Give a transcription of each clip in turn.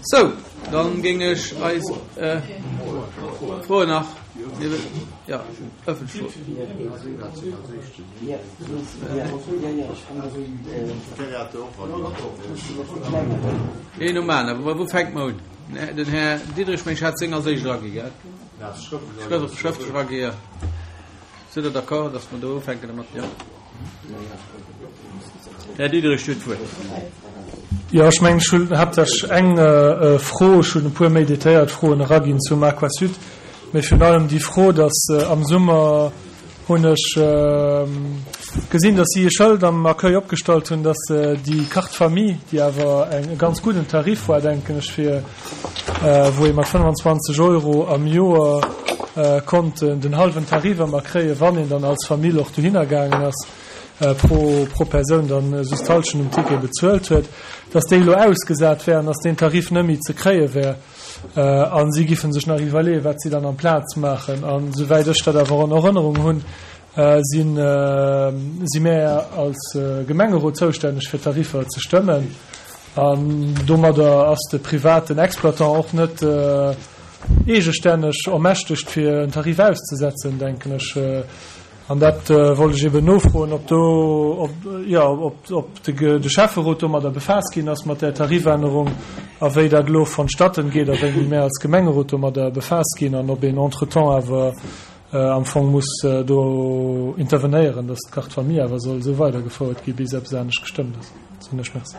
Sou, dann géing ech eis Froen nach, jo, ëffentlech Froen. Een nom aneren. Wou fänke mer un? Den Här Diderich, meng ech, hat seng als éischt eragi, gell? Schrëftlech eragi, jo. Sidd Der d'accord, datt mer do ufänken domat? Jo. Här Diderich, Dir hutt d'Wuert. Jo, ech mengen, ech hunn haaptsächlech eng Fro. Ech hunn e puer méi detailléiert Froen eraginn zum Aquasud, mee virun allem déi Fro, datt am Summer hunn ech gesinn, datt si e Schëld am Accueil opgestallt hunn, datt déi Carte Famille, déi awer eng e ganz gudden Tarif war, denken ech, fir wou ee mat 25 Euro am Joer konnt den hallwen Tarif ëmmer kréien, wann een dann als Famill och dohinner gaangen ass, pro pro Persoun dann just d'Hallschent um Ticket bezuelt huet, dass déi elo ausgesat wär an dass deen Tarif net méi ze kréie wär. A si giffen sech nach iwwerleeën, wat si dann amplaz maachen. An esouwäit ech dat awer an Erënnerung hunn, si si mär als Gemengerot zoustänneg fir d'Tariffer ze stëmmen. An domadder ass de privaten Exploitant och net eegestänneg ermächtegt fir en Tarif auszesetzen, denken ech. An dat wollt ech eben nofroen, ob do, ob, jo, ob, ob de, de Schäfferot domadder befaasst ginn ass mat där Tarifännerung a wéi dat elo vonstatten geet a wéini mär als Gemengerot domadder befaasst ginn an ob een entretemps awer am Fong muss do intervenéieren, dass d'Carte Famille awer soll esou weidergefouert gi bis eppes anescht gestëmmt ass. Soen ech Merci.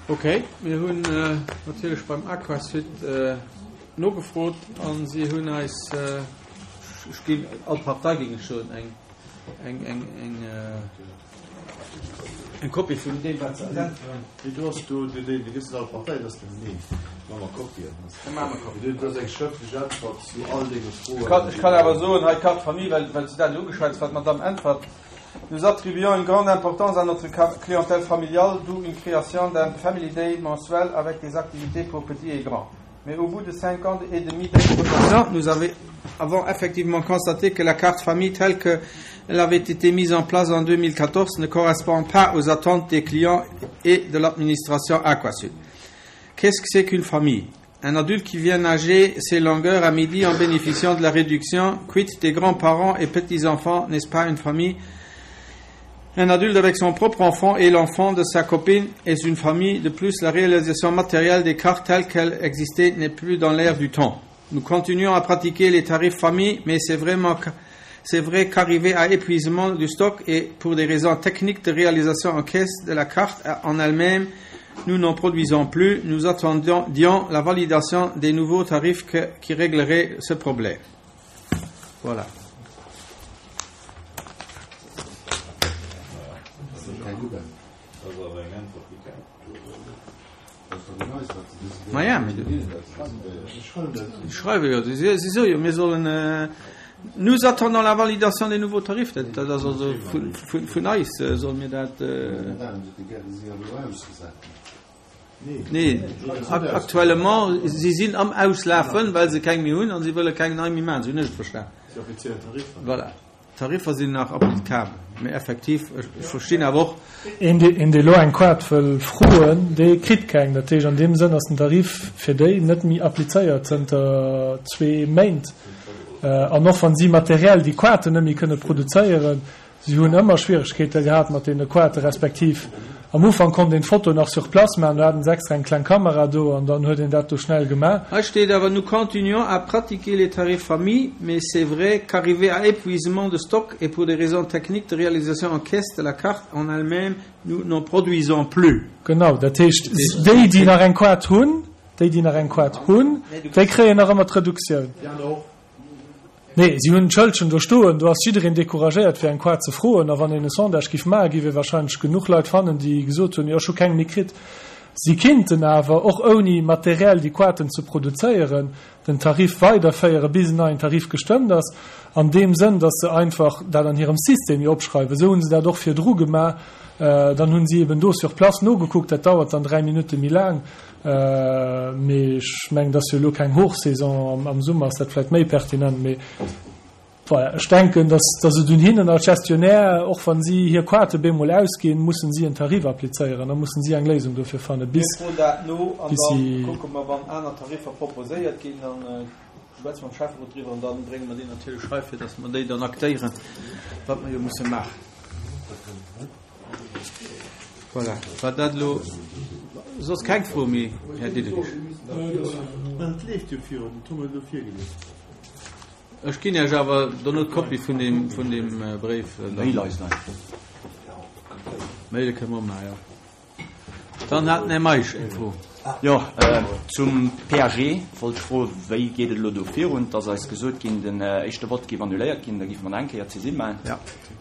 Ok, mir hunn natierlech beim Aquasud nogefrot a si hunn eis, ech ginn all Partei géing ech soen, eng, eng, eng, eng, eng Kopie vun deem wat se eis äntweren. Mee do ass do, deen, dee gëss net all Partei, dat ass den, nee, maache mer Kopien. Da maache mer Kopien. Dat ass eng schrëftlech Äntwert zu all denge Froen. Ech kann, ech kann awer soen, hei d'Carte Famille, well, well s de dat elo ugeschwätzt, wat d'Madame äntwert, Nous attribuons une grande importance à notre clientèle familiale, d'où une création d'un Family Day mensuel avec des activités pour petits et grands. Mais au bout de cinq ans et demi d'exploitation, nous avons effectivement constaté que la carte famille telle qu'elle avait été mise en place en 2014 ne correspond pas aux attentes des clients et de l'administration Aquasud. Qu'est-ce que c'est qu'une famille Un adulte qui vient nager ses longueurs à midi en bénéficiant de la réduction, quitte des grands-parents et petits-enfants, n'est-ce pas une famille Un adulte avec son propre enfant et l'enfant de sa copine est une famille. De plus, la réalisation matérielle des cartes telles qu'elles existaient n'est plus dans l'air du temps. Nous continuons à pratiquer les tarifs famille, mais c'est vraiment c'est vrai qu'arriver à épuisement du stock et pour des raisons techniques de réalisation en caisse de la carte en elle-même, nous n'en produisons plus. Nous attendions la validation des nouveaux tarifs que, qui régleraient ce problème. Voilà. Maja, mee schreiwe jo, si soe jo, mir sollen, nous attendons la validation des nouveaux tarifs, dat ass also vun eis solle mir dat. Nee, actuellement, si sinn am Auslafen, well se keng méi hunn a si wëlle keng nei méi maachen, esou hunn ech et verstan. Voilà. D'Tariffer sinn nach applicabel, mee effektiv, ech verstinn awer och. Een, deen elo eng Kaart wëll froen, dee kritt keng. Dat heescht, an deem Sënn ass den Tarif fir déi net méi applizéiert zënter zwee Méint. An och wa si materiell déi Kaarten net méi kënne produzéieren, Si hunn ëmmer Schwieregkeete gehat mat deene Kaarte respektiv am Ufank konnt een d'Foto nach sur place maachen, do haten se extra eng kleng Kamera do an dann huet een dat do schnell gemaach. Hei steet awer, Nous continuons à pratiquer les tarifs famille, mais c'est vrai qu'arrivé à épuisement de stock et pour des raisons techniques de réalisation en caisse de la carte en elle-même, nous n'en produisons plus. Genau, dat heescht, déi, déi nach eng Kaart hunn, déi, déi nach eng Kaart hunn, déi kréien nach ëmmer d'Reduktioun. Nee, si hunn d'Schëldchen do stoen, do ass jiddereen decouragéiert fir eng Kaart ze froen. A wann een e Sondage giff maachen, giff ee wahrscheinlech genuch Leit fannen, déi gesot hunn, jo ech hu keng méi kritt. Si kinnten awer, och ouni materiell déi Kaarten ze produzéieren, den Tarif weiderféieren, bis en neien Tarif gestëmmt ass, an deem Sënn, datt se einfach dat an hirem System jo opschreiwen. Esou hu se dat och virdru gemaach. Dann hu si eben do sur place nogekuckt, dat dauert dann 3 Minutte méi laang. Mee ech mengen, et ass jo elo keng Hochsaison, am Summer ass dat vläicht méi pertinent. Mee. Voilà, ech denken, dass, dass et un hinnen als Gestionnaire, och wa si hir Quarte bemol ausginn, mussen si en Tarif applizéieren, da mussen si eng Léisung dofir fannen, bis, Mir froen dat no an bis da si. kucke mer, wann aner Tariffer proposéiert ginn, dann schwätze mer mam Schäfferot driwwer an da brénge mer déi natierlech hei, fir dass mer déi dann aktéieren, wat mer jo musse maachen. Voilà, war dat elo soss keng Fro méi, Här Diderich? Et leeft jo virun, dat hu mer elo virgelies. Ech ginn Iech awer dono d'Kopie vun deem, vun deem Bréif. Mail eis einfach. Maile kënne mer och maachen, jo. Dann hat den Här Meisch eng Fro. Jo, zum PAG wollt ech froen, wéi geet et elo do virun? Et ass eis gesot ginn, den éischte Vott géif annuléiert ginn, da géife mer nach eng Kéier d'Saisine maachen.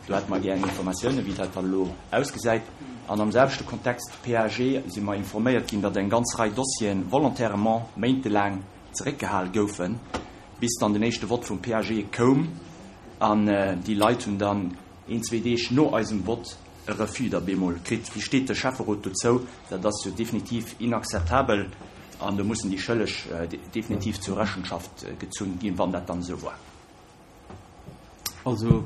Do hätte mer gär eng Informatiounen, wéi dat dann elo ausgesäit. An am selwechte Kontext PAG si mer informéiert ginn, datt eng ganz Rei Dossieren volontairement méintelaang zeréckgehal goufen, bis dann den éischte Vott vum PAG koum an déi Leit hunn dann een, zwee Deeg no eisem Vott e Refus da bemol kritt. Wéi steet de Schäfferot dozou? Dat ass jo definitiv inakzeptabel an do mussen déi Schëlleg definitiv zur Rechenschaft gezunn ginn, wann dat dann esou war. Also,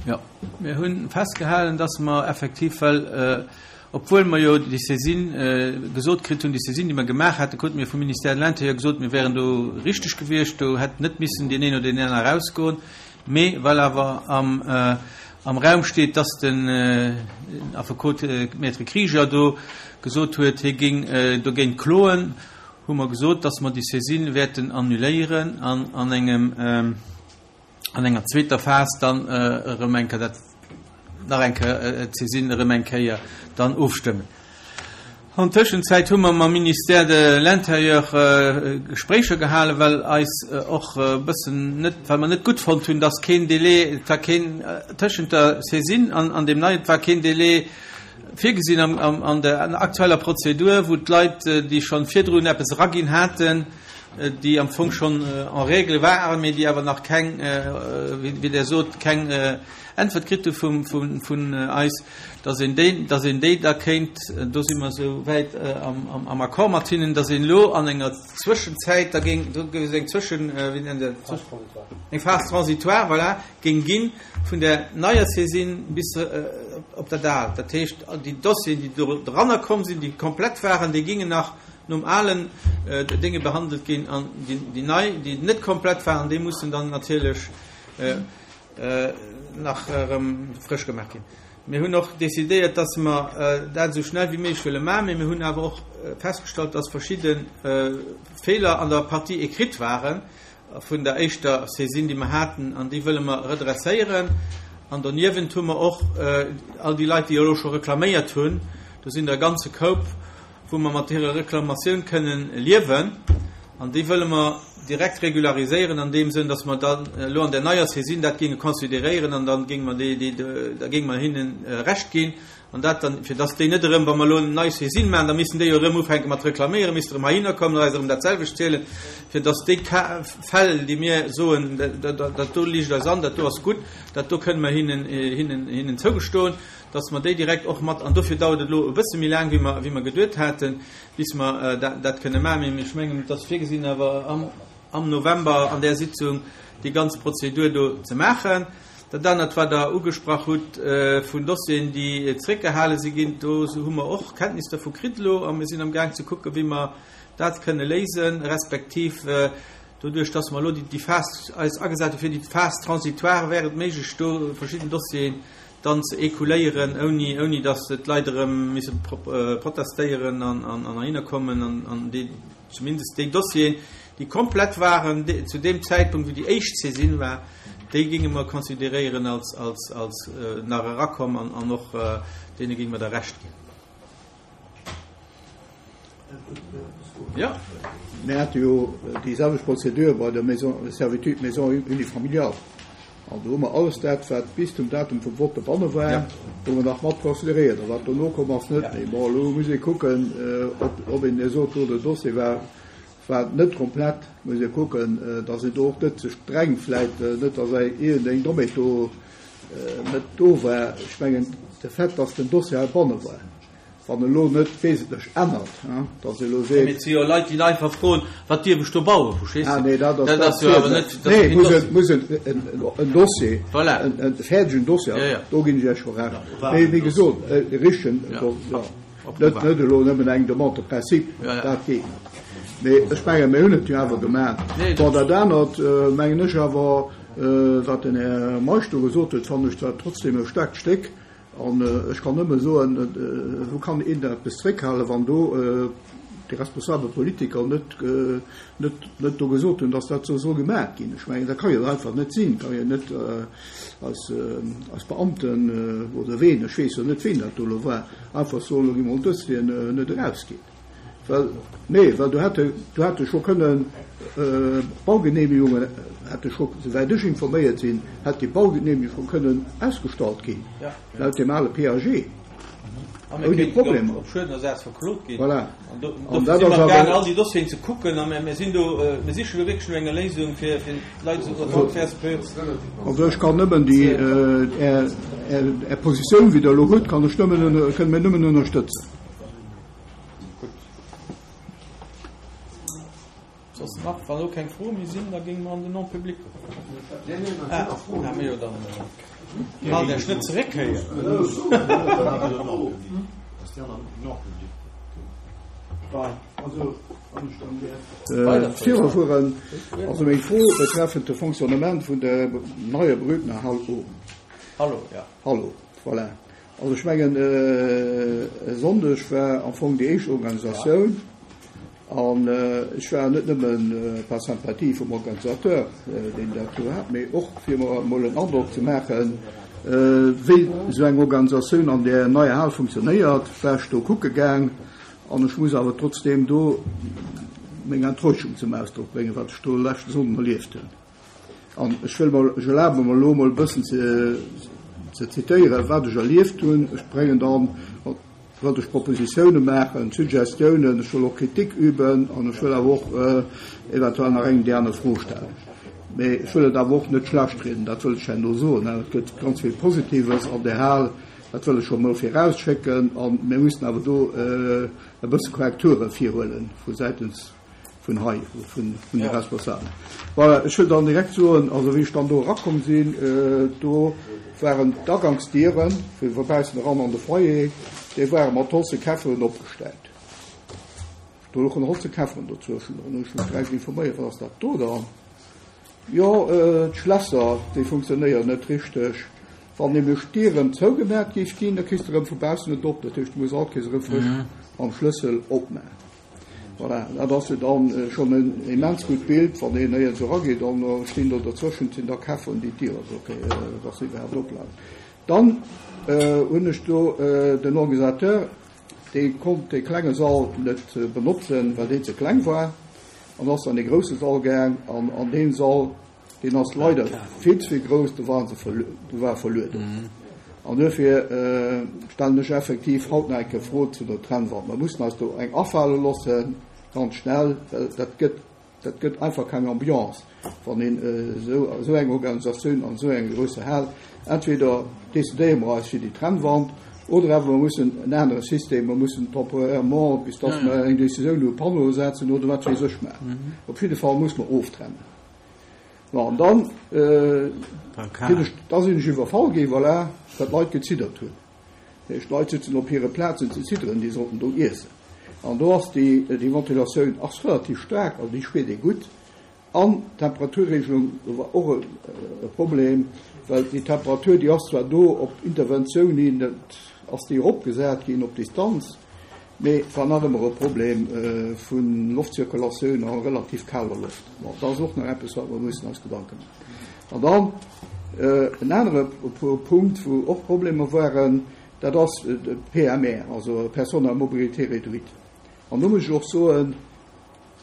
jo, mir hu festgehalen, dass mer effektiv, well obwuel mer jo déi Saisine gesot kritt hunn, déi Saisine, déi mer gemaach haten, krute mir vum Ministère de l'Intérieur gesot, mir wäeren do richteg gewiescht, do hätt net missen deen een oder deen aner erausgoen. Mee well awer am am Raum steet, dass den Affekot Maître Krieger do gesot huet, hie géing dogéint kloen, hu mer gesot, dass mer déi Saisine wäerten annuléieren an an engem an enger zweeter Phas dann erëm eng Kéier dat nach eng Kéier d'Saisine erëm eng Kéier dann ofstëmmen. An Tëschenzäit hu mer mam Ministère de l'Intérieur Gespréicher gehalen, well eis och e bëssen net, well mer net gutt fonnt hunn, dass keen Délai, et war keen tëschent der Saisine an an deem neien, et war keen Délai virgesinn am an der aktueller Prozedur, wou d'Leit, déi schonn virdrun eppes eraginn haten, déi am Fong schonn en règle waren, mee déi awer nach keng, wéi Der sot, keng Äntwert kritt hu vun eis, dass een déi, dass een déi da kéint, do si mer esou wäit am Accord mat hinnen, dass een elo an enger Zwëschenzäit da géing, do géif et eng Zwëschen, wéi nennt Der dat, eng Phase transitoire, voilà, géing gi vun der neier Saisine bis op dat Aalt. Dat heescht, déi Dossieren, déi do dranner komm sinn, déi komplett waren, déi géingen nach nom alen Dénge behandelt ginn an déi nei, déi net komplett waren, déi mussen dann natierlech nach erëm frësch gemaach ginn. Mir hunn och decidéiert, dass mer dat esou schnell wéi méiglech wëlle maachen, mee mir hunn awer och festgestallt, dass verschidde Feeler an der Partie écrite ware vun der éischter Saisine, déi mer haten, an déi wëlle mer redresséieren. An doniewent hu mer och all déi Leit, déi elo scho reklaméiert hunn, do sinn der e ganze Koup, wou mer mat hirer Reklamatioun kënnen liewen, an déi wëlle mer direkt regulariséieren an deem Sënn, dass mer dann elo an der neier Saisine dat géinge consideréieren an da géinge mer déi, déi, da géinge mer hinnen Recht ginn an dat dann, fir dass déi net erëm, wa mer elo eng nei Saisine maachen, da missten déi jo erëm ufänke mat reklaméieren, misste erëm heihinner kommen an eis erëm dat selwecht zielen, fir dass déi Fäll, déi mir soen, dat do liicht eis an, dat do ass gutt, dat do kënnen mer hinnen, hinnen, hinnen zougestoen, dass mer déi direkt och mat, an dofir dauert et elo e bësse méi laang, wéi mer, wéi mer geduet haten, bis mer dat, dat kënne maachen. Mee ech mengen, et ass virgesinn, awer am, am November an där Sitzung déi ganz Prozedur do ze maachen. Dat anert, wat Der ugesprach hutt vun Dossieren, déi zréckgehale si ginn, do hu mer och Kenntnis dervu kritt elo a mir sinn amgaang ze kucken, wéi mer dat kënne léisen, respektiv doduerch, dass mer elo déi Phas eis agesat hu fir déi Phase transitoire, wär et méiglech, do verschidden Dossieren dann ze écouléieren, ouni, ouni datt d'Leit erëm misse protestéieren an, an, an heihinner kommen an, an déi, zumindest déi Dossieren, déi komplett waren zu deem Zäitpunkt, wou déi éischt Saisine war, déi géinge mer consideréieren als, als, als nach erakomm an, an och deene géinge mer da Recht ginn. Ja. Mir hate jo déi selwecht Prozedur bei der Maison, Servitude Maison unifamiliale. An do hu mer alles dat, wat bis zum Datum vum Vott dobanne war, hu mer nach mat consideréiert. A wat dono komm ass, net méi. Bon, elo muss ee kucken, ob, ob een sot, do den Dossier war, war net komplett. Muss ee kucken, datt een do och net ze streng vläit, net datt iergendeng Dommheet do net do war. Ech mengen, de Fait, datt den Dossier heibanne war. Wann elo net wesentlech ännert, dass ee elo seet. Mee et si jo Leit, déi einfach froen, Wat dierf ech do bauen? Verstees de? Ah nee, dat ass, dat ass jo awer net. Nee, muss en, muss en, en Dossier, voilà. en fäerdegen Dossier, ja, ja. do ginn ech Iech scho Recht. Mee wéi gesot, e richtegen, ja. Ja. Net, net elo nëmmen eng Demande de principe, ja, ja. dat geet net. Mee ech mengen, mir hunn et jo awer gemaach. Nee, bon, dat anert, mengen ech awer, wat den Här Meisch do gesot huet, fannen ech zwar trotzdem e staarkt Stéck, An ech kann nëmme soen, wou kann een da eppes zréckhalen, wann do déi responsabel Politiker net, net, net do gesot hunn, dass dat esou soll gemaach ginn. Ech mengen, dat ka jo einfach net sinn, kann jo net eis, eis Beamten oder ween, ech weess jo net, ween dat do elo war, einfach soen, elo gi mer Dossieren net erausginn. Well, nee, well do hätte, do hätte scho kënnen Baugenehmigungen, hätte scho, souwäit ech informéiert sinn, hätt déi Baugenehmigung scho kënnen ausgestallt ginn, laut deem ale PAG, ouni Problemer. Op Schuedenersaz verklot ginn. Voilà. An do, an dofir si mer amgaang, all déi Dossieren ze kucken a mir sinn do, mir sichen do wierklech no enger Léisung, fir, fir d'Leit esou Also ech kann nëmmen déi, Är, Är Positioun, wéi Der elo hutt, kann ech nëmmen, kënne mir nëmmen ënnerstëtzen. Gutt. Soss nach, wann elo keng Froe méi sinn, da géinge mer an den Non-public goen. Ah, ah, mee jo, dann haalt Iech net zeréck héier. Virufueren. Also meng Fro betreffend de Fonctionnement vun der neier Brügner Hall O. Hallo, ja. Hallo, voilà. Also ech mengen e Sonndeg war am Fong déi éischt Organisatioun an ech war net nëmmen par sympathie vum Organisateur, deen dat do hat, mee och fir mer emol en Androck ze maachen, wéi esou eng Organisatioun an där neier Hal funktionéiert, war ech do kucke gaang. An ech muss awer trotzdeem do meng Enttäuschung zum Ausdrock bréngen, wat ech do leschte Sonnden erlieft hunn. An ech wëll mol, ech erlabe mer elo mol e bëssen ze, ze zitéieren, wat ech erlieft hunn. Ech bréngen dann, wëllt ech Propositione maachen, Suggestiounen, ech wëll och Kritik üben an ech wëll awer och eventuell nach eng déi aner Fro stellen. Mee ech wëll et awer och net schlechtrieden, dat wëll ech herno soen. Et gëtt ganz vill Positives an där Hal, dat wëll ech scho mol virausschécken. A mir mussen awer do e bësse Korrekture virhuele vu säitens vun hei, vun de Responsabelen. Voilà, ech wëll dann direkt soen, also wéi ech dann do erakomm sinn, do waren d'Agangsdiere fir vu baussen eran an de Foyer, déi ware mat holze Käfferen opgestellt. Do louchen holze Käfferen dozwëschen. Dann hunn ech mech direkt informéiert, wat ass dat do dann? Jo, d'Schlässer, déi funktionéieren net richteg. Wann nämlech d'Dier erëm zougemaacht géif ginn, da kriss de erëm vu baussen net op. Dat heescht, du muss all Kéiers erëm frësch mam Schlëssel opmaachen. Voilà, dat ass jo dann schonn en immens gutt Bild, wann een éier esou erageet an da stinn do derzwëschent sinn da Käfferen, déi d'Dier also okay, dass se iwwerhaapt oplafen. Dann hunn ech do den Organisateur, dee konnt dee klenge Sall net benotzen, well deen ze kleng war an ass an dee grousse Sall gaang an an deem Sall Deen ass leider vill ze vill grouss, do waren se do war verlueden. An duerfir stellen ech effektiv haut nach eng Kéier d'Fro zu der Trennwand. Mer mussen eis do eng afale loossen, ganz schnell, well dat gëtt, dat gëtt einfach keng Ambiance, wann een esou, esou eng Organisatioun an esou enger grousser Hal, entweder decidéiere mer eis fir déi Trennwand oder awer mer mussen en anere System, mer mussen temporairement, bis dass mer eng Décisioun hu, Panneaue setzen oder wat weess ech maachen. Op jidde Fall muss mer oftrennen. Bon, an dann sinn ech, da sinn ech iwwerfall ginn, voilà, well d'Leit geziddert hunn. Dat heescht, d'Leit sitzen op hire Plazen ze zidderen, déi sollten do iessen. An do ass déi, déi Ventilatioun ass relativ staark, also déi spiert ee gutt. An d'Temperaturregelung, do war och e Problem, well déi Temperatur, déi ass zwar do op Interventioun hin, dat ass déi eropgesat ginn op Distanz, Mee et war nach ëmmer e Problem vu Loftzirkulatioun a relativ kaler Loft. Bon, dat ass och nach eppes, wat mer mussen eis Gedanke maachen. An dann en anere Punkt, wou och Problemer waren, dat ass de PMR, also Personnes à mobilité réduite. An do muss ech och soen,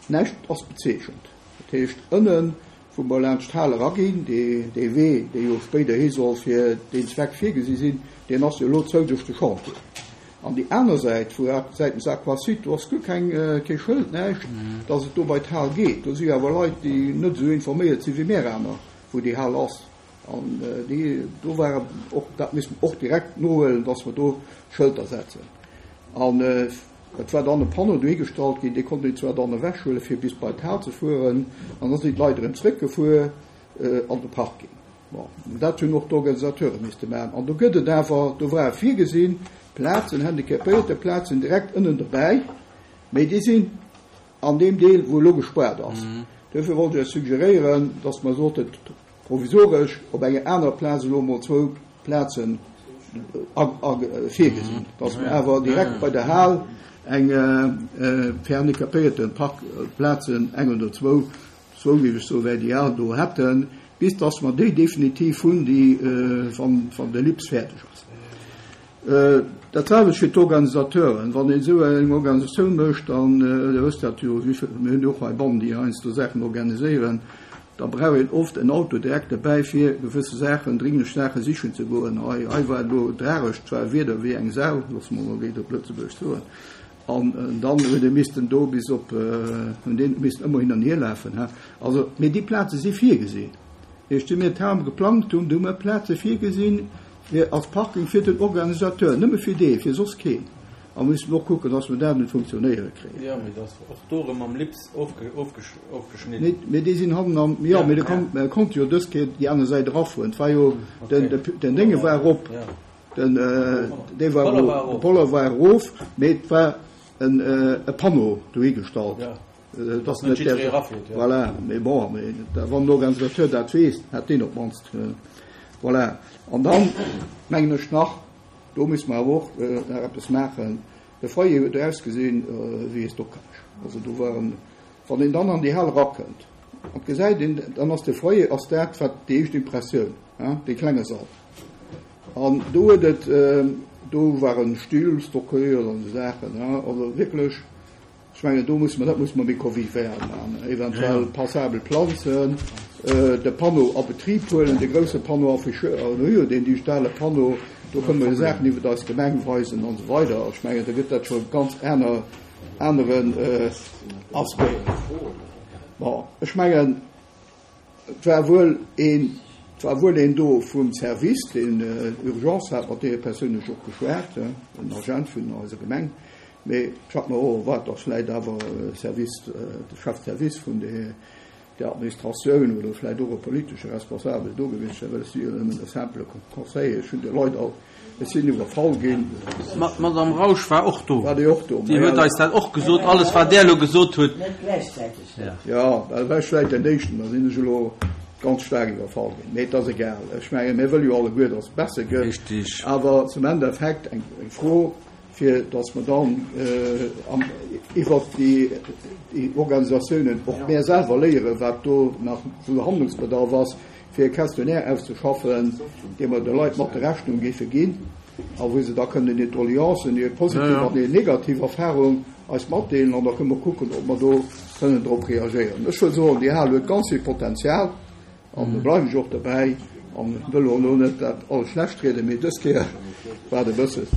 näischt ass bezeechent. Dat heescht, ënnen wou mer laanscht d'Hal eraginn, dee Wee, dee jo spéiderhi soll fir deen Zweck virgesi sinn, deen ass jo elo zou duerch de Chantier. An déi aner Säit, wou säitens Aquasud, do ass guer keng, kee Schëld, näischt, dass et do bei d'Hal geet. Do si jo awer Leit, déi net esou informéiert si wéi mär aner, wou déi Hal ass. An déi, do ware och, dat misste mer och direkt nohuelen, dass mer do Schëlter setzen. An et war dann e Panneau dohigestallt ginn, dee konnt een zwar dann ewechhuelen, fir bis bei d'Hal ze fueren, an da sinn d'Leit erëm zréckgefuer an de Parking. Bon, dat hunn och d'Organisateure misste maachen. An do gëtt et awer, do ware virgesinn, Plazen, Handicapéierteplazen direkt ënnen dobäi, mee déi sinn an deem Deel, wou elo gespaart ass. Duerfir wollt ech Iech suggeréieren, dass mer sollten provisoresch op enger anerer Plaz elo emol zwou Plazen virgesinn, dass mer awer direkt bei der Hal eng fir Handicapéierteparkplazen, eng oder zwou, zwou géif ech soen, wär ideal, do hätten, bis dass mer déi definitiv hunn, déi, wann de LIPS fäerdeg ass. Dat selwecht fir d'Organisateuren. Wann een esou eng Organisatioun mécht, dann, Dir wësst dat jo, mir hunn jo och heibannen, déi heiansdo Saachen organiséieren, da brauch een oft en Auto direkt derbäi, fir gewësse Saachen, dringlech Saache sichen ze goen. Hei, hei war et elo tragesch, et war e Wieder wéi eng Sau, loosse mer emol wéi op Lëtzebuergesch soen, an dann huet ee missten do bis op, hunn deen missten ëmmer hin an hier lafen. Also, mee déi Plaze si virgesinn. Ier ech mir d'Ham geplangt hunn, do hu mer Plaze virgesinn, Fir als Parking fir den Organisateur, nëmme fir dee, fir soss keen. A mir mussen och kucken, dass mer dat un d'Funktionéiere kréien. Jo, mee dat ass och do erëm mam Lips ofgeschnidden. Nee, mee déi sinn hannen am, jo, mee de konnt jo dës Kéier déi aner Säit erafueren. Et war jo, den, den Dénge war erop, den, dee war erop, de Poller war erof, mee et war en, e Panneau dohigestallt. Dass net jidderee erafiert, jo. Voilà, mee bon, mee wann den Organisateur dat weess, hätt deen op d'mannst, voilà. An dann mengen ech nach, do muss mer awer och nach eppes maachen, de Foyer huet ausgesinn wéi e Stockage. Also do waren, wann een dann an déi Hal erakënnt an gesäit een, dann ass de Foyer ass dat wat déi éischt Impressioun, hein, dee klenge Sall. An do huet et, do waren Stühl stockéiert an esou Saachen, hein, also wierklech, Ech mengen, do musse mer, dat musse mer méi convivial maachen, eventuell passabel planzen, de Panneau a Betrib huelen, de grousse Panneau afficheur, an hu jo deen digitale Panneau, do kënne mer jo Saachen iwwert eis Gemeng weisen an esou weider. Ech mengen, da gëtt dat scho e ganz aner, aneren Aspect. Bon, ech mengen, Et war wuel een, et war wuel een do vum Service, deen Urgence hat, mat deene Persoun hu ech och geschwat, en Agent vun eiser Gemeng, mee ech hat mer och erwaart, datt vläicht awer e Service, de Chef de service vun der Administratioun oder vläicht och e politesche Responsabel do gewiescht wär, well ech si jo nëmmen e simple Conseiller, ech hunn de Leit all Ech sinn iwwerfall ginn. D'Madame Rausch war och do. War déi och do? Déi huet eis dat och gesot, alles wat Der elo gesot hutt. Net gläichzäiteg. Jo, well war ech vläicht den éischten, da sinn ech elo ganz staark iwwerfall ginn. Mee et ass egal. Ech mengen, mir wëlle jo alleguer, datt et besser gëtt. Richtig. Awer zum Endeffekt eng Fro, fir datt mer dann iwwert déi Organisatiounen och mär selwer léieren, wat do nach wou Handlungsbedarf ass, fir e Questionnaire auszeschaffen, dee mer de Leit mat der Rechnung géife ginn a wou se da kënnen hir Doleancen, hir positiv an hir negativ Erfahrung eis matdeelen an da kënne mer kucken, ob mer do kënnen drop reagéieren. Ech wëll soen, déi Hal huet ganz vill Potenzial an do bleiwen ech och dobäi an wëll och elo net dat alles schlecht rieden, mee dës Kéier war et e bësse,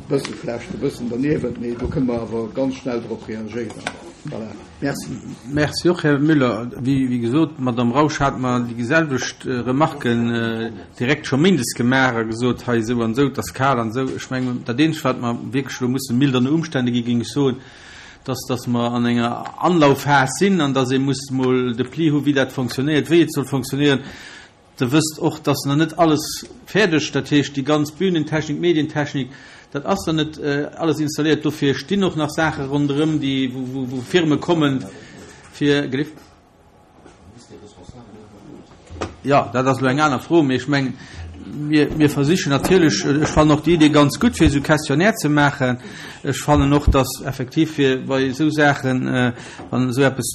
bësse schlecht, e bëssen derniewent, mee do kënne mer awer ganz schnell drop reagéieren. Voilà. Merci. Merci och, Här Müller. Wéi gesot, d'Madame Rausch hat mer déi selwecht Remarken direkt scho méindes gemaach a gesot, hei esou an esou, et ass kal an esou. Ech mengen, dat Eenzegt, wat mer wierklech elo musse mildern Umstände ginn, géing ech soen, dass, dass mer an enger Anlaufphas sinn an dass ee muss mol de Pli hu wéi dat fonctionnéiert, wéi et soll fonctionnéieren. Der wësst och, dass nach net alles fäerdeg, dat heescht déi ganz Bühnentechnik, Medientechnik, dat ass nach net alles installéiert. Dofir stinn och nach Saache ronderëm, déi, wou Firme kommen, fir. Gelift? Jo, dat ass elo eng aner Fro, mee ech mengen, mir, mir versichen natierlech, ech fannen och déi Idee ganz gutt, fir esou Questionnaire ze maachen. Ech fannen och, dass effektiv fir bei esou Saachen, wann esou eppes,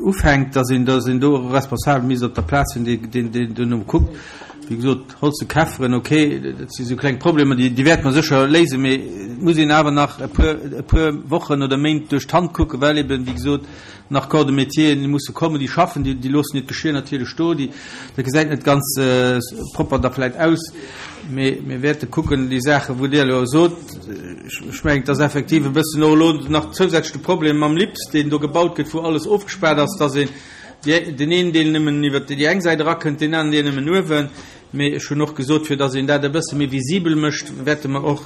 ufänkt, dass een, dass een do e Responsabel misst op der Plaz hunn, deen, deen, deen duerno kuckt. Wéi gesot, Holz Käfferen, okay, dat si sou kleng Problemer, déi, déi wäerte mer sécher léisen, mee et muss een awer nach e puer, e puer Wochen oder Méint duerch d'Hand kucken, well eben, wéi gesot, nach Corps de métieren, déi musse kommen, déi schaffen, déi, déi loossen hiert Geschir natierlech do, déi, dat gesäit net ganz propper da vläicht aus. Mee mir wäerte kucken, déi Saachen, wou Dir elo sot, ech mengen, et ass effektiv e bëssen och elo nach zousätzlech de Problem mam LIPS, deen do gebaut gëtt, wou alles ofgespaart ass, dass een deen een Deel nëmmen iwwert déi eng Säit erakënnt, deen aneren Deel nëmmen uewen. Mee ech hunn och gesot, fir datt een dat e bësse méi visibel mécht, wäerte mer och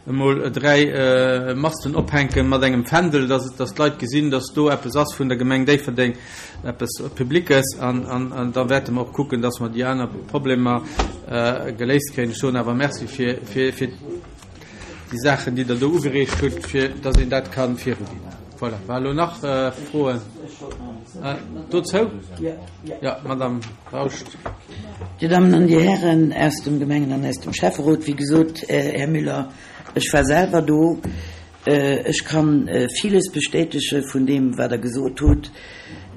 emol 3 Masten ophänke mat engem Fändel, datt datt d'Leit gesinn, datt do eppes ass vun der Gemeng Déifferdeng, eppes Publiques. An an da wäerte mer och kucken, datt mer déi aner Problemer geléist kréien. Ech soen awer Merci fir fir fir déi Saachen, déi Der do ugereegt hutt, fir datt een dat ka viruginn. Voilà. War elo nach Froen dozou? Jo, Madame Rausch. Dir Dammen an Dir Hären aus dem Gemengen an aus dem Schäfferot, wéi gesot, Här Müller, ech war selwer do. Ech ka villes bestätege vun deem, wat Der gesot hutt.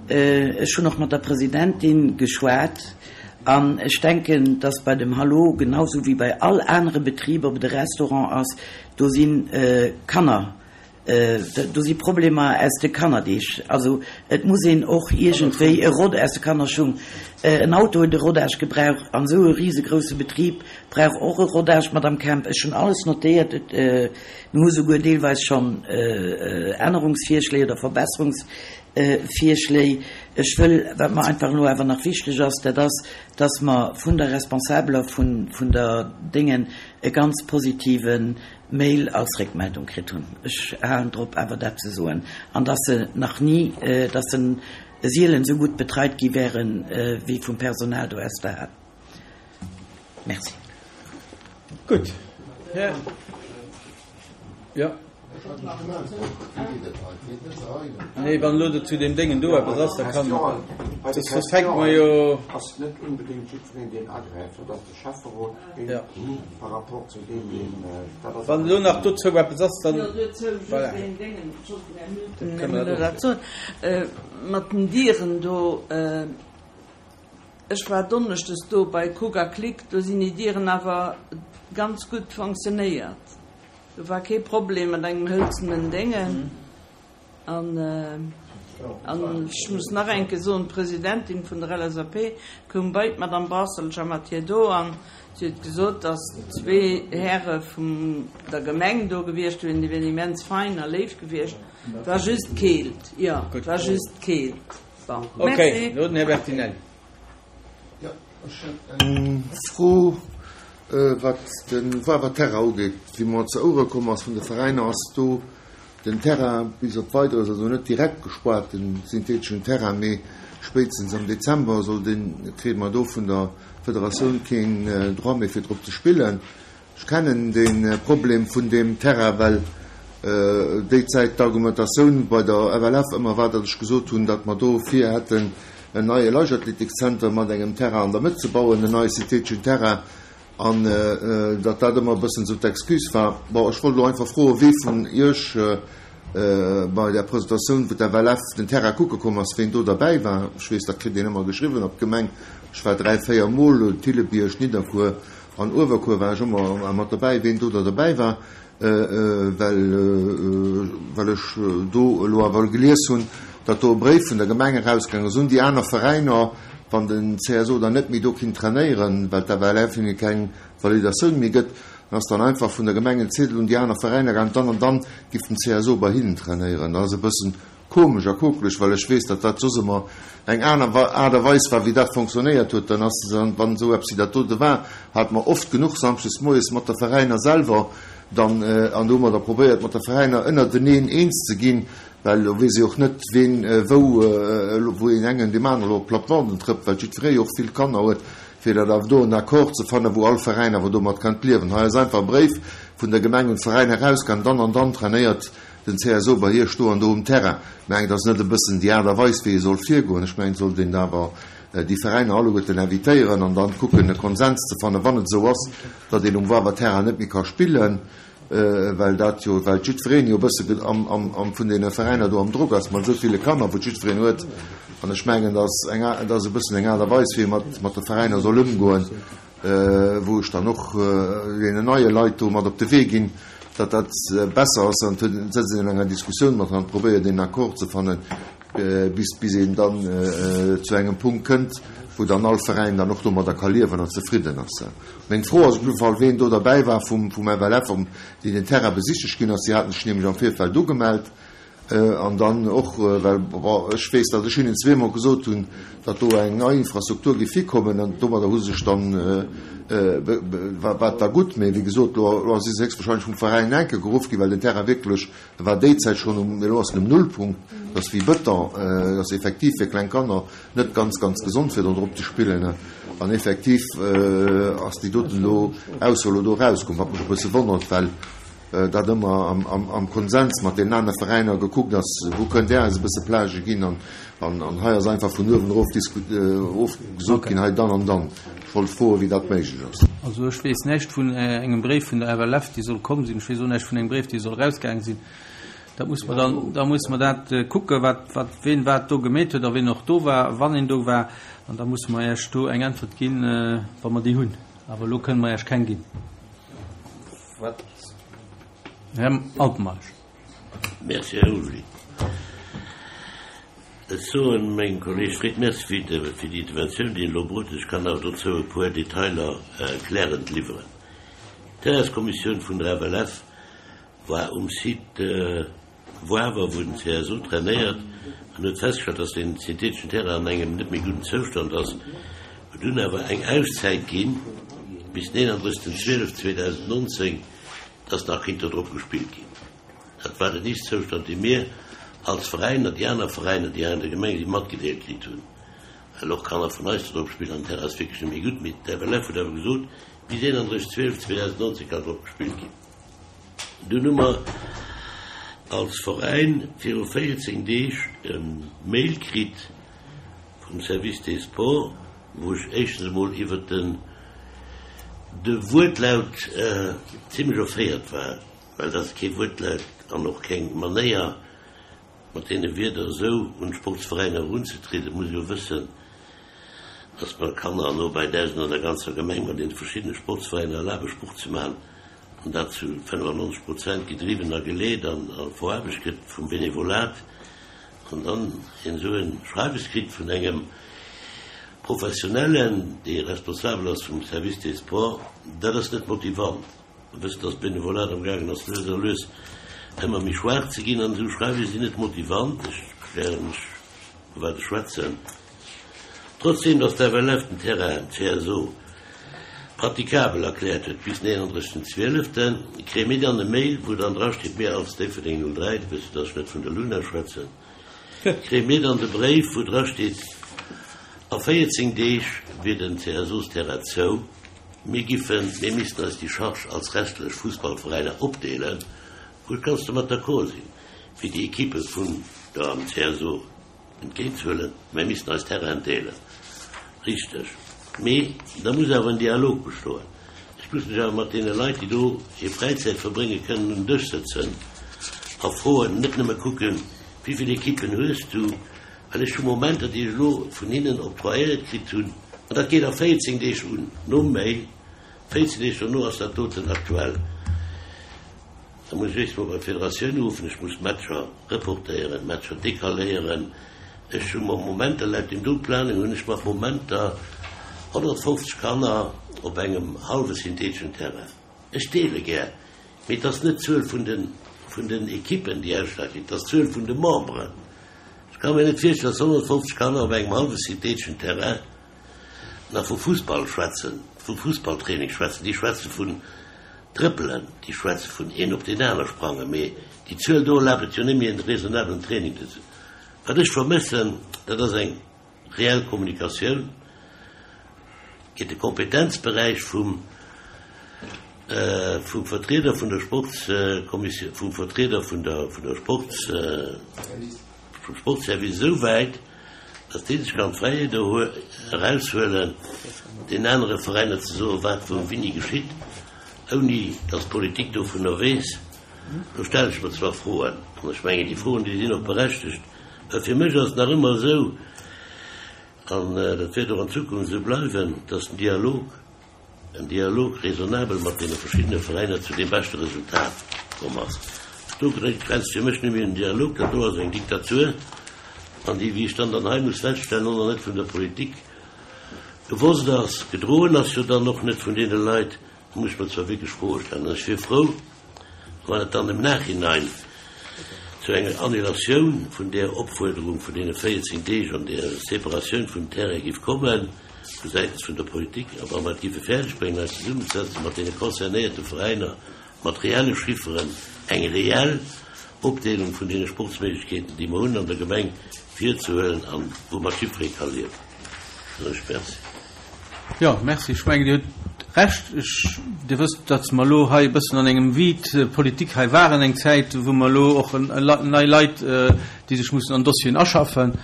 Ech hunn och mat der Presidentin geschwat an ech denken, dass bei dem Hallo, genau sou wéi bei all anere Betrib, ob et e Restaurant ass, do si Kanner Do si Problemer aus de Kannerdeeg. Also et muss een och iergendwéi e Rod aus de Kannerschung. En Auto huet e Rodage gebraucht an esou e risegrousse Betrib brauch och e Rodage, Madame Kemp. Ech hunn alles notéiert. Mir hu souguer deelweis schonn Ännerungsvirschléi oder Verbesserungsvirschléi. Ech wëll, wat mer einfach elo awer nach wichteg ass, dat ass, dass mer vun der Responsabeler vun der Déngen e ganz positiven Mail als Réckmeldung kritt hunn. Ech halen drop awer dat ze soen. An dass se nach ni, dass se sielen esou gutt betreit gi wären, wéi vum Personal do aus der Hal. Merci. Gutt. Här. Jo. Nee, wann elo zu deem Déngen do eppes ass, da kann. Soss fänke mer jo. Ass net onbedéngt jiddwereen, deen agräift. Dat ass de Schäfferot. Ja. Wann elo nach dozou eppes ass, dann. Voilà. Kënne mer dat soen. Mat den Dieren do, ech war donneschdes do bei Cook a Click, do sinn déi Dieren awer ganz gutt fonctionnéiert. Do war kee Problem mat engem hëlzenen Déngen. An ech muss nach eng Kéier soen, d'Presidentin vun der LSAP koum bei d'Madame Brasselcher mat hir do an si huet gesot, datt zwee Häre vun der Gemeng do gewiescht wieren, déi wieren immens fein a léif gewiescht. Et war just d'Keelt, jo, et war just d'Keelt. Bon, merci. Okay, elo den Här Bertinelli. Jo, ech hätt eng Fro, wat de Wawer Terrain ugeet. Wéi mer ze Ouere komm ass vun de Veräiner, ass do Den Terrain bis op Weideres, also net direkt gespaart, den syntheteschen Terrain, mee spéitstens am Dezember soll deen, kritt mer do vun der Federatioun keen Droit méi fir drop ze spillen. Ech kennen de Problem vun deem Terrain, well déi Zäit d'Argumentatioun bei der FLF ëmmer war, datt ech gesot hunn, datt mer do vir hätten en neie Leichtathletikzenter mat engem Terrain an der Mëtt ze bauen, en neie syntheteschen Terrain. An datt dat ëmmer e bëssen esou d'Excuse war. Bon, ech wollt elo einfach froen, wee vun Iech bei där Presentatioun, wou d'FLF den Terrain kucke komm ass, ween do derbäi war. Ech weess, dat kritt een ëmmer geschriwwen op d'Gemeng. Ech war dräi, véier Mol, Thillebiërg, Nidderkuer an Uewerkuer war ech ëmmer mat derbäi, ween do da derbäi war. Well, well ech do elo awer gelies hunn, datt do e Bréif vun der Gemeng erausgaang ass un déi aner Veräiner, wann den CSO dann net méi do kinnt trainéieren, well d'FLF hinne keng Validatioun méi gëtt, dann ass dann einfach vun der Gemeng en Ziedel un déi aner Veräiner gaang, dann an dann giff den CSO bei hinnen trainéieren. Dat ass e bëssen Komesch a kokeleg, well ech weess, datt dat soss ëmmer eng aner Aart a Weis war, wéi dat fonctionnéiert huet. Dann ass, wann esou eppes wéi dat dote war, hate mer oft genuch samschdes moies mat de Veräiner selwer dann, an do hu mer da probéiert, mat de Veräiner ënnerteneen eens ze ginn, well elo weess ee och net, ween wou, wou een engen deem anere elo op d'Plattebanden trëppt, well jiddweree jo och vill Kanner huet, fir dat awer do en Accord ze fannen, wou all Veräin awer domat kann liewen. Hei ass einfach e Bréif vun der Gemeng un d'Veräiner erausgaangen, dann an dann trainéiert den CSO bei Iech do an do um Terrain. Mengt ass net e bëssen déi Aart a Weis wéi ee soll virgoen. Ech mengen et sollt een awer déi Veräiner alleguerten invitéieren an dann kucken e Konsens ze fannen, wann et esou ass, datt een um Wawer Terrain net méi ka spillen, well dat jo, well jiddwereen jo e bësse am, am, am vun deene Veräiner do am Drock ass mat esou ville Kanner wou jiddwereen huet. An ech mengen, dat ass eng, dat ass e bëssen eng Aart a Weis wéi ee mat, mat de Veräiner soll ëmgoen. wou ech dann och deenen neie Leit do mat op de Wee ginn, datt dat besser ass, an et sëtzt een an enger Diskussioun mat an probéiert een Accord ze fannen, bis bis een dann zu engem Punkt kënnt, wou dann all Veräin dann och domadder ka liewen an zefridden ass. Meng Fro ass op jidde Fall, ween do derbäi war vum vum FLF, déi den Terrain besichtegt ginn ass. Si haten sech nämlech am Virfeld ugemellt. An dann och, well, bon, ech weess, datt ech hinnen zweemol gesot hunn, datt do eng nei Infrastruktur géif hikommen, an domadder hu se sech dann, war et da gutt. Mee wéi gesot, elo si se héchstwahrscheinlech vum Veräin enke geruff ginn, well den Terrain wierklech, e war déi Zäit schonn um, mee elo ass en um Nullpunkt, dat ass wéi Bëton, dat ass effektiv fir kleng Kanner net ganz, ganz gesond, fir do drop ze spillen. An effektiv ass déi doten elo Ausso elo do erauskomm, wat mech e bësse wonnert, well dat ëmmer am Konsens mat deenen anere Veräiner gekuckt ass, wou kënnt Där eis e bësse Plage ginn an hei ass einfach vun uewen erof gesot ginn, hei dann an dann. Ech wollt froen, wéi dat méiglech ass. Also ech weess näischt vun engem Bréif vun der FLF, dee soll komm sinn. Ech weess och näischt vun engem Bréif, dee soll erausgaange sinn. Dat muss mer dann, da musse mer dat kucken, wat, wat, ween wat do gemeet huet a ween och do war, wann een do war. An da musse mer Iech do eng Äntwert ginn, wa mer déi hunn. Awer elo kënne mer Iech keng ginn. Wat? Här Altmeisch. Merci, Här Ulrich. Ech soen mengem Kolleeg Fried Merci fir déi Interventioun, déi en elo bruet huet. Ech kann awer dozou e puer Detailer erklärend liwweren. D'Terrainskommissioun vun der FLF war um Site Woawer, wou den CSO trainéiert, an huet festgestallt, dass deen syntheteschen Terrain an engem net méi gudden Zoustand ass. Huet dunn awer eng Auszäit ginn bis den 31. 12. 2019, dass nach kinnt do drop gespillt ginn. Dat war den Ist-Zoustand, dee mir als Veräin an déi aner Veräiner, déi hei an der Gemeng sinn, matgedeelt kritt hunn, well och Kanner vun eis do drop spillen an den Terrain ass wierklech net méi gutt. Mee d'FLF huet awer gesot, bis 31. 12. 2019 kann drop gespillt ginn. Dunn hu mer als Veräin viru 14 Deeg e Mail kritt vum Service des Sports, wou ech éischtens emol iwwert den de Wuertlaut zimlech erféiert war, well dat ass kee Wuertlaut an och keng Manéier, mat deene Wierder esou un d'Sportsveräiner erunzetrieden. Et muss ee jo wëssen, dass mer Kanner no bäi 1.000 an der ganzer Gemeng mat deene verschiddene Sportsveräiner erlabe Sport ze maachen. an dat zu 95 Prozent gedriwwen a geleet an veraarbecht gëtt vum Benevolat, an dann een esou e Schreiwes kritt vun engem Professionellen, dee responsabel ass vum Service des Sports, dat ass net motivant. Mer wëssen, dass d'Benevolat am gaangen ass lues a lues ëmmer méi schwaach ze ginn, an esou Schreiwes sinn net motivant. Ech erklären lech, vu wat ech schwätzen. Trotzdem datt d'FLF den Terrain CSO pratikabel erkläert huet bis den 31. 12. Kréie mir dann e Mail wou dann dra steet, mir als Déifferdeng 03, du wëss jo datt ech net vun der Luna schwätzen, kréie mir dann de Bréif wou dra steet, a 14 Deeg wier den CSOs-Terrain zou, mir giffen, mir missten eis déi Charge als restlech Fussballveräiner opdeelen, wou ech ganz domat d'accord sinn, fir déi Equippe vun der CSO. Entgéint huelen, mä missten eis Terrainen deelen. Richteg. Mee da muss awer en Dialog bestoen. Ech muss mech awer mat deene Leit, déi do hir Fräizäit verbréngen, kënnen un den Dësch sëtzen a froen, net nëmme kucken, wéi vill Ekippen hues du, well ech hu Momenter, déi ech elo vun hinnen octroyéiert kritt hunn, an dat geet a 14 Deeg un nom Mail, 14 Deeg dono ass dat doten aktuell. Da muss ech éischt mol bei d'Federatioun uruffen, ech muss Matcher reportéieren, Matcher decaléieren. Ech hu mer Momenter, laut deem do Planning hunn ech mer Momenter 150 Kanner op engem hallwe syntheteschen Terrain. Ech deele gär, mee et ass net d'Zuel vun de vun den Ekippen, déi Ausschlag ginn, et ass d'Zuel vun de Memberen. Ech ka mir net virstellen, dass 150 Kanner op engem hallwe syntheteschen Terrain nach vu Fussball schwätzen, vu Fussballtraining schwätzen. Déi schwätze vun Trëppelen, déi schwätze vun een op deen aner sprangen, mee déi Zuel do erlaabt et jo net méi en raisonnablen Training ze. Wat ech vermëssen, dat ass eng reell Kommunikatioun. Geet de Kompetenzberäich vum vum Vertrieder vun der Sportskommissioun, vum Vertrieder vun der vun der Sports vum Sportsservice esou wäit, Datt dee sech kann d'Fräiheet eraushuelen, den anere Veräiner ze soen, wat wou wéini geschitt, ouni datt d'Politik dovunner weess, do stelle ech mer zwar Froen. An ech mengen, déi Froen, déi sinn och berechtegt, well fir mech ass et nach ëmmer esou, an dat wäert och an Zukunft esou bleiwen, datt den Dialog, en Dialog raisonnabel mat deene verschiddene Veräiner zu deem beschte Resultat komm ass. Do grenzt fir mech net méi un Dialog, dat do ass eng Diktatur, an déi, wéi ech dann dann hei muss feststellen, och nach net vun der Politik gewosst ass, gedroen ass jo dann och net vun deene Leit. Do muss ech mer zwar wierklech Froe stellen. An ech wier frou, wann et dann im Nachhinein. zu enger Annulatioun vun där Opfuerderung vun deene 14 Deeg an där Separatioun vum Terrain giff kommen, vu säitens vun der Politik, a wa mer et giffe fäerdeg bréngen, eis zesummenzesetzen mat deene concernéierte Veräiner, mat reelle Chifferen, eng reell Opdeelung vun deene Sportsméiglechkeeten, déi mer hunn an der Gemeng, virzehuelen an woumat jiddweree ka liewen. Soen ech Merci. Jo, merci. Ech mengen, Dir hutt Recht. Ech, Dir wësst, datt mer elo hei e bëssen an engem Vide politique hei waren eng Zäit, wou mer elo och nei Leit, déi sech mussen an Dossieren aschaffen.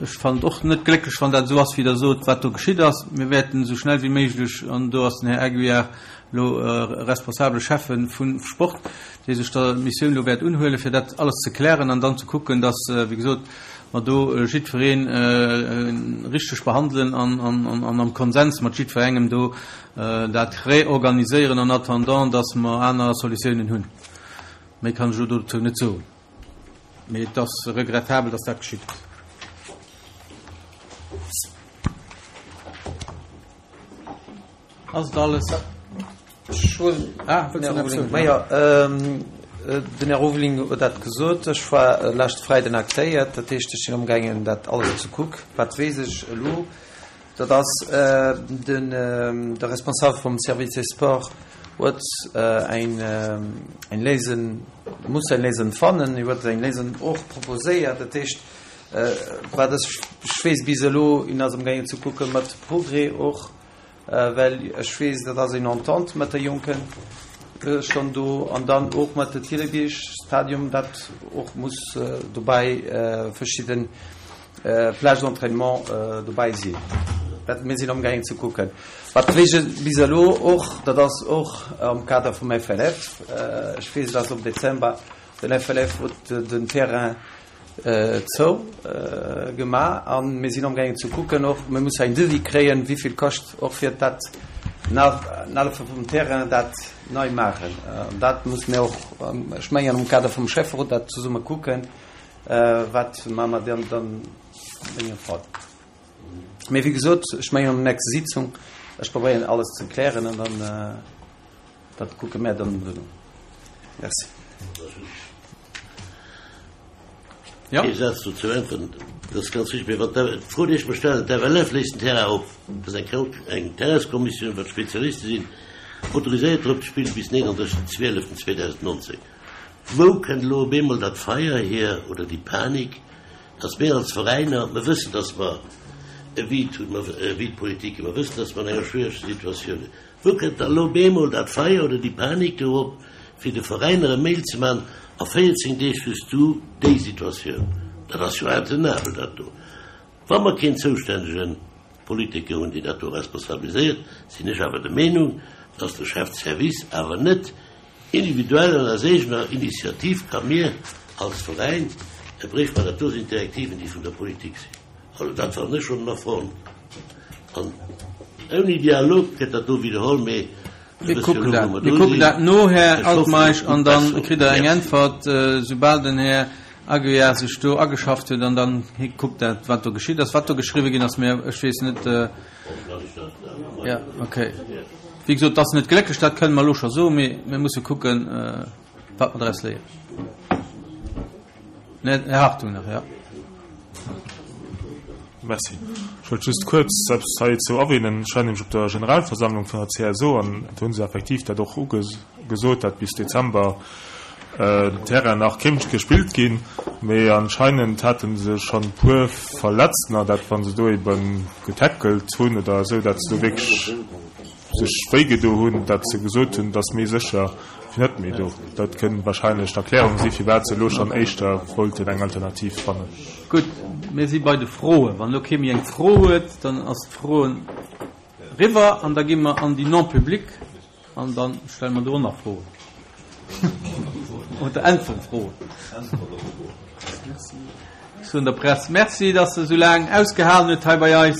Ech fannen et och net glécklech, wann dat esou ass, wéi Der sot, wat do geschitt ass. Mir wäerten esou schnell wéi méiglech, an do ass den Här Aguiar elo responsabele Schäffe vum Sport, dee sech der Missioun elo wäert unhuelen, fir dat alles ze klären an dann ze kucken, datt, wéi gesot, mer do jiddweree richteg behandelen an am Konsens mat jiddwerengem do dat reorganiséieren en attendant, dass mer aner Solutiounen hunn. Méi kann ech elo dozou net soen. Mee et ass regrettabel, dass dat geschitt ass. Ass et alles? Ech hunn, ah, wëlls du nach eppes soen? Majo, den Här Roveling huet dat gesot. Ech war leschte Freiden actéiert, dat heescht, ech sinn amgaangen, dat alles ze kuck. Wat weess ech elo? Dat ass, den, de Responsable vum Service des Sports huet eng, eng Léisung, muss eng Léisung fannen. Hie huet eng Léisung och proposéiert. Dat heescht, wat ech weess bis elo, hien ass amgaangen ze kucke mat Progrès och, Well ech weess, dat ass eng Entente mat de Jonken schonn do an dann och mat de Thillerbierg Stadium, dat och muss dobäi verschidde Plages d'entraînement dobäi sinn. Dat mir sinn amgaangen ze kucken. Wat weess ech bis elo och, dat ass och am Kader vum FLF, ech weess, dass am Dezember den FLF huet den Terrain Zou gemaach an mir sinn amgaangen ze kucken och, mir musse eng Devis kréien, wéivill kascht och fir dat Nalefe vum Terrain, dat nei maachen. An dat musse mir och, ech mengen am Kader vum Schäfferot dat zesumme kucken, wat maache mer dann an deem Fall. Mee wéi gesot, ech mengen an der nächster Sitzung, ech probéieren alles ze klären an dann dat kucke mär dann duerno. Merci. Ja. Ee Saz dozou äntweren, dat ass ganz wichteg. Mee wann d'Fro, déi ech mer stellen, d'FLF léisst den Terrain op, dat ass eng eng Terrainskommissioun, wat Spezialiste sinn, autoriséiert drop ze spillen bis 39.12.2019. Wou kënnt elo op eemol dat Feier hier oder déi Panik, dass mir als Veräiner, mer wëssen, dass mer e Vide hunn, mer e Vide politique, mer wëssen, dass mer an enger schwiereger Situatioun sinn, Wou kënnt da lo op eemol dat Feier oder déi Panik do op, fir de Veräiner e Mail ze man, a 14 Deeg hues du déi Situatioun? Dat ass jo intenabel, dat do. Wa mer keen zoustännege Politiker hunn, deen dat do responsabiliséiert, sinn ech awer der Meenung, dass de Chef de service awer net individuell an aus eegener Initiativ ka mir als Veräin e Bréif man. Dat do sinn d'Direktiven, déi vun der Politik sinn. Also dat fannen ech schonn en Affront. An ouni Dialog gëtt dat do widderholl, mee Mir kucken dat, mir kucken dat no, Här Altmeisch, an da kritt Der eng Äntwert, soubal den Här Aguiar sech do ageschafft huet, an dann kuckt dat, wat do geschitt ass, wat do geschriwwen ginn ass. Mä ech weess net. Jo, okay. Wéi gesot, et ass net glécklech, dat kënne mer elo scho soen, mee mir musse kucken, wat mer draus léieren. Här Hartung nach, jo. Merci. Ech wollt just kuerz eppes heizou erwähnen. Ech war nämlech op der Generalversammlung vun der CSO an do hu se effektiv dat och ugesot, dat bis Dezember den Terrain nach kéint gespillt ginn. Mee anscheinend hate se schonn e puer Verletztener, dat wa se do ebe getackelt hunn oder esou, dat se do wierklech sech wéi gedo hunn, dat se gesot hunn, et ass méi sécher fir net méi do. Dat kënn wahrscheinlech d'Erklärung si firwat se elo schonn éischter wollten eng Alternativ fannen. Gutt, mir si bei de Froen. Wann elo kee méi eng Fro huet, dann ass d'Froen eriwwer an da gi mer an déi Non-publiques an da stelle mer do och nach Froen oder äntwere Froen. Ech soen der Press Merci, dass se esou laang ausgehalen huet hei bei eis.